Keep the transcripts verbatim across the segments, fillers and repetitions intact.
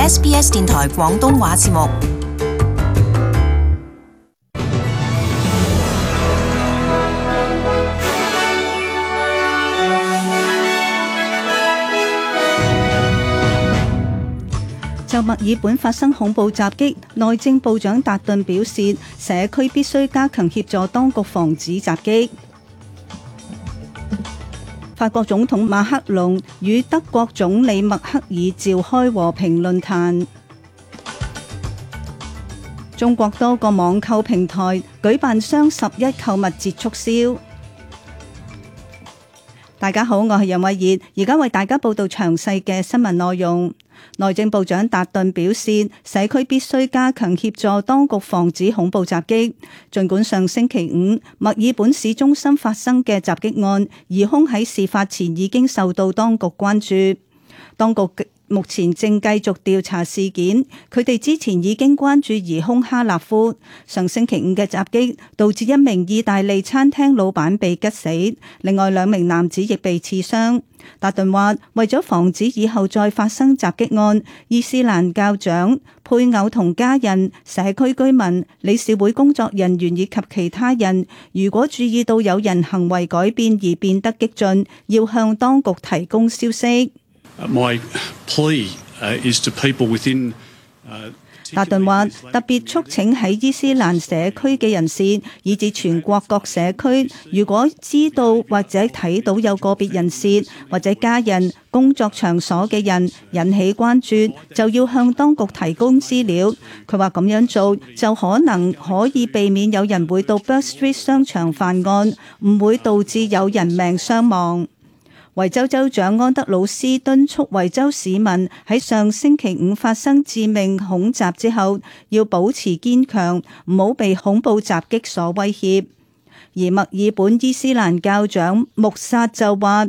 S B S 電台廣東話節目。就墨爾本發生恐怖襲擊，內政部長達頓表示，社區必須加強協助當局防止襲擊。法國總統馬克龍與德國總理默克爾召開和平論壇。中國多個網購平台舉辦雙十一購物節促銷。大家好，我係楊慧儀，而家為大家報道詳細嘅新聞內容。內政部長達頓表示，社區必須加強協助當局防止恐怖襲擊。儘管上星期五墨爾本市中心發生嘅襲擊案，疑兇喺事發前已經受到當局關注。當局目前正繼續調查事件，佢哋之前已經關注疑兇哈納夫。上星期五嘅襲擊導致一名意大利餐廳老闆被吉死，另外兩名男子亦被刺傷。達頓話，為咗防止以後再發生襲擊案，伊斯蘭教長、配偶同家人、社區居民、理事會工作人員以及其他人，如果注意到有人行為改變而變得激進，要向當局提供消息。My plea is to people within 達頓話，特別促請喺伊斯蘭社區嘅人士，以至全國各社區，如果知道或者睇到有個別人士或者家人、工作場所嘅人引起關注，就要向當局提供資料。佢話咁樣做就可能可以避免有人會到 Bourke Street 商場犯案，唔會導致有人命傷亡。維州州長安德魯斯敦促維州市民喺上星期五發生致命恐襲之後，要保持堅強，唔好被恐怖襲擊所威脅。而墨爾本伊斯蘭教長穆薩就話，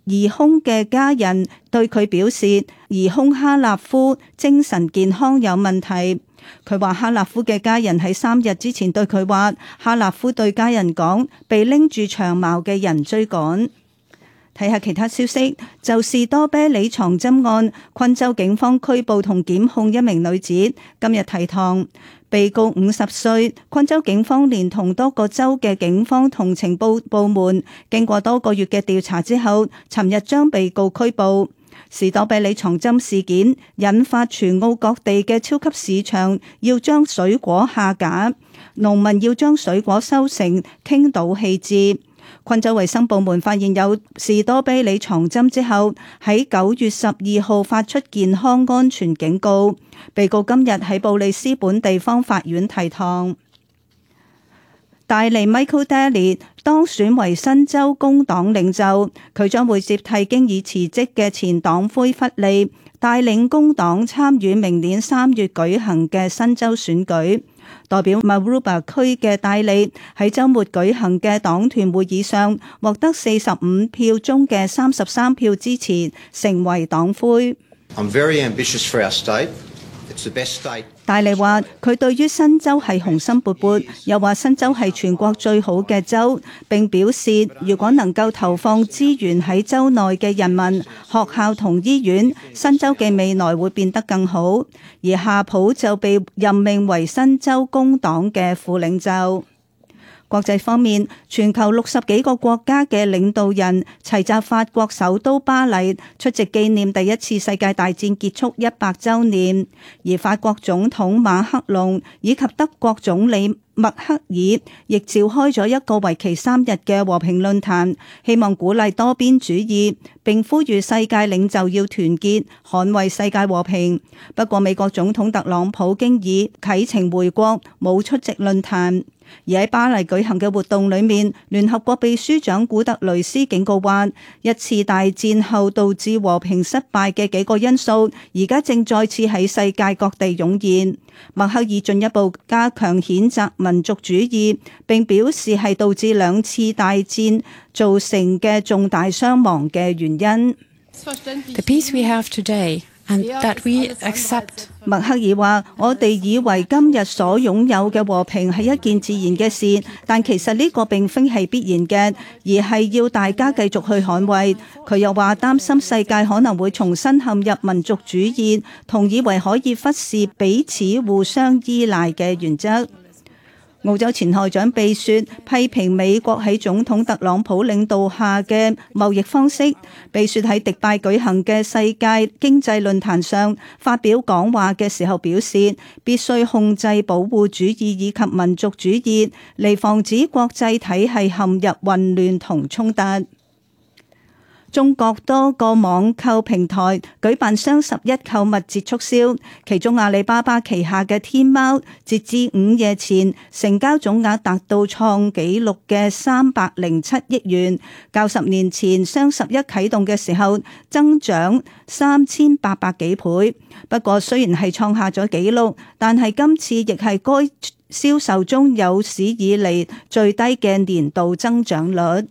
疑兇嘅家人對佢表示，疑兇哈納夫精神健康有問題。佢話哈納夫嘅家人喺三日之前對佢話，哈納夫對家人講，被拎住長矛嘅人追趕。睇下其他消息，就士多啤梨藏針案，昆州警方拘捕同檢控一名女子，今日提堂。被告五十歲，昆州警方連同多個州嘅警方同情報部門，經過多個月嘅調查之後，尋日將被告拘捕。士多啤梨藏針事件引發全澳各地嘅超級市場要將水果下架，農民要將水果收成傾倒棄置。昆州衛生部門發現有士多啤梨藏針之後，喺九月十二號發出健康安全警告。被告今日喺布里斯本地方法院提堂。戴利 Michael Daly 當選為新州工黨領袖，佢將會接替經已辭職嘅前黨魁弗利，帶領工黨參與明年三月舉行嘅新州選舉。代表 Maroubra 區嘅戴利喺週末舉行嘅黨團會議上，獲得四十五票中嘅三十三票支持，成為黨魁。I'm very ambitious for our state. It's the best state. 戴利話：佢對於新州係雄心勃勃，又話新州係全國最好嘅州，並表示如果能夠投放資源喺州內嘅人民、學校同醫院，新州嘅未來會變得更好。而夏普就被任命為新州工黨嘅副領袖。國際方面，全球六十幾個國家嘅領導人齊集法國首都巴黎，出席紀念第一次世界大戰結束一百週年。而法國總統馬克龍以及德國總理默克爾亦召開咗一個為期三日嘅和平論壇，希望鼓勵多邊主義，並呼籲世界領袖要團結，捍衛世界和平。不過，美國總統特朗普經已啟程回國，冇出席論壇。而喺巴黎舉行嘅活動裏面，聯合國秘書長古特雷斯警告話，一次大戰後導致和平失敗嘅幾個因素，而家正再次喺世界各地湧現。默克爾進一步加強譴責民族主義，並表示係導致兩次大戰造成嘅重大傷亡嘅原因。The peace we have today and that we accept 默克爾話：我哋以為今日所擁有嘅和平係一件自然嘅事，但其實呢個並非係必然嘅，而係要大家繼續去捍衛。佢又話擔心世界可能會重新陷入民族主義，同以為可以忽視彼此互相依賴嘅原則。澳洲前外長貝雪批評美國喺總統特朗普領導下嘅貿易方式。貝雪喺迪拜舉行嘅世界經濟論壇上發表講話嘅時候表示，必須控制保護主義以及民族主義，嚟防止國際體系陷入混亂同衝突。中國多個網購平台舉辦雙十一購物節促銷，其中阿里巴巴旗下嘅天貓，截至午夜前成交總額達到創紀錄嘅三百零七億元，較十年前雙十一啟動嘅時候增長三千八百幾倍。不過雖然係創下咗紀錄，但係今次亦係該銷售中有史以嚟最低嘅年度增長率。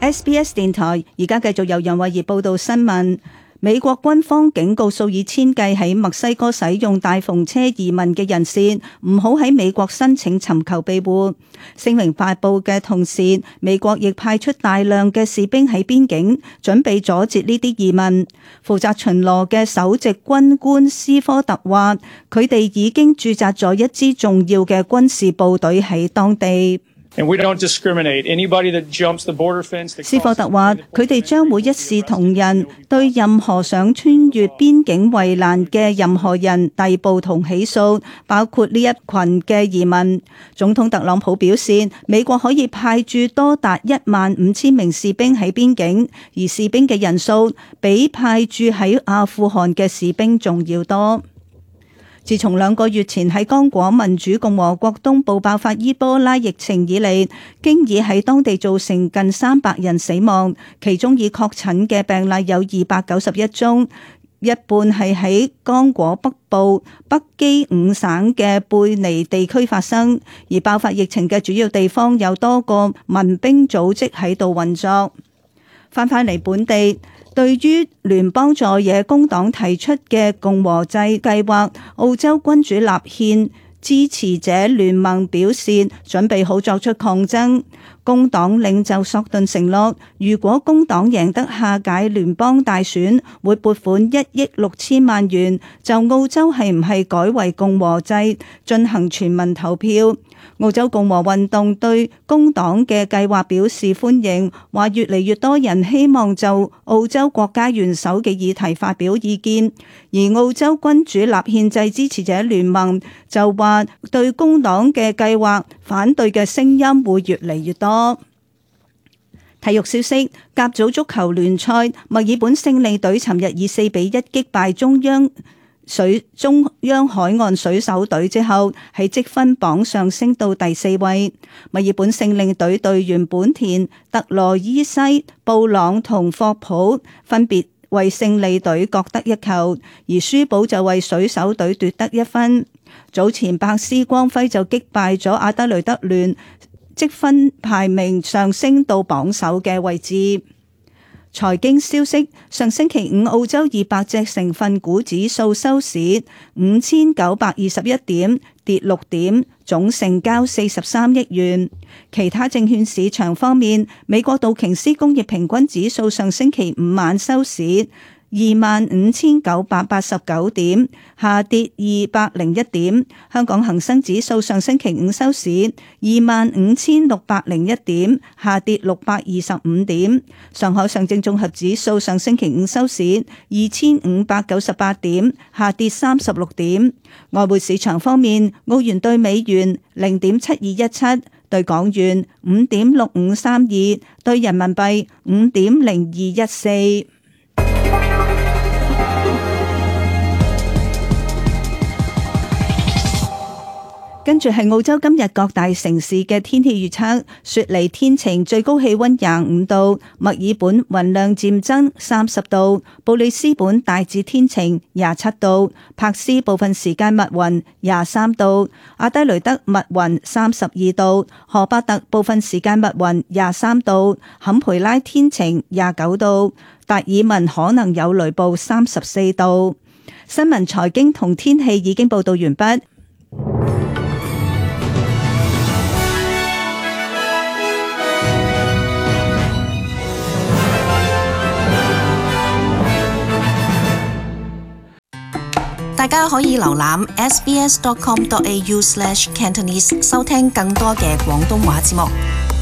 S B S 電台而家繼續由楊慧儀報道新聞。美國軍方警告數以千計喺墨西哥使用大篷車移民嘅人士，唔好喺美國申請尋求庇護。聲明發佈嘅同時，美國亦派出大量嘅士兵喺邊境，準備阻截呢啲移民。負責巡邏嘅首席軍官斯科特話，佢哋已經駐紮咗一支重要嘅軍事部隊喺當地。And we don't discriminate. Anybody that jumps the border fence. 斯科特話：佢哋將會一視同仁，對任何想穿越邊境圍欄嘅任何人逮捕同起訴，包括呢一群嘅移民。總統特朗普表示，美國可以派駐多達一萬五千名士兵喺邊境，而士兵嘅人數比派駐喺阿富汗嘅士兵仲要多。自從兩個月前喺剛果民主共和國東部爆發伊波拉疫情以嚟，經已喺當地造成近三百人死亡，其中已確診嘅病例有二百九十一宗，一半係喺剛果北部北基五省嘅貝尼地區發生，而爆發疫情嘅主要地方有多個民兵組織喺度運作。翻返嚟本地。對於聯邦在野工黨提出嘅共和制計劃，澳洲君主立憲支持者聯盟表示準備好作出抗爭。工黨領袖索頓承諾，如果工黨贏得下屆聯邦大選，會撥款一億六千萬元，就澳洲係唔係改為共和制進行全民投票。澳洲共和運動對工黨嘅計劃表示歡迎，話越嚟越多人希望就澳洲國家元首嘅議題發表意見，而澳洲君主立憲制支持者聯盟就話對工黨嘅計劃反對嘅聲音會越嚟越多。體育消息：甲組足球聯賽，墨爾本勝利隊尋日以四比一擊敗中央水中央海岸水手隊之後，喺積分榜上升到第四位。墨爾本勝利隊隊員本田、特羅伊西、布朗同霍普分別為勝利隊各得一球，而舒堡就為水手隊奪得一分。早前白斯光輝就擊敗咗阿德雷德聯，積分排名上升到榜首嘅位置。財經消息：上星期五澳洲二百隻成分股指數收市五千九百二十一點，跌六點，總成交四十三億元。其他證券市場方面，美國道瓊斯工業平均指數上星期五晚收市二萬五千九百八十九點，下跌二百零一點。香港恒生指數上星期五收市二萬五千六百零一點，下跌六百二十五點。上海上證綜合指數上星期五收市二千五百九十八點，下跌三十六點。外匯市場方面，澳元兌美元零點七二一七，兌港元五點六五三二，兌人民幣五點零二一四。跟住係澳洲今日各大城市嘅天氣預測：雪梨天晴，最高氣溫廿五度；墨爾本雲量漸增，三十度；布里斯本大致天晴，廿七度；柏斯部分時間密雲，廿三度；阿德雷德密雲，三十二度；荷伯特部分時間密雲，廿三度；坎培拉天晴，廿九度；達爾文可能有雷暴，三十四度。新聞、財經同天氣已經報道完畢。大家可以瀏覽 s b s dot com dot a u slash cantonese 收聽更多嘅廣東話節目。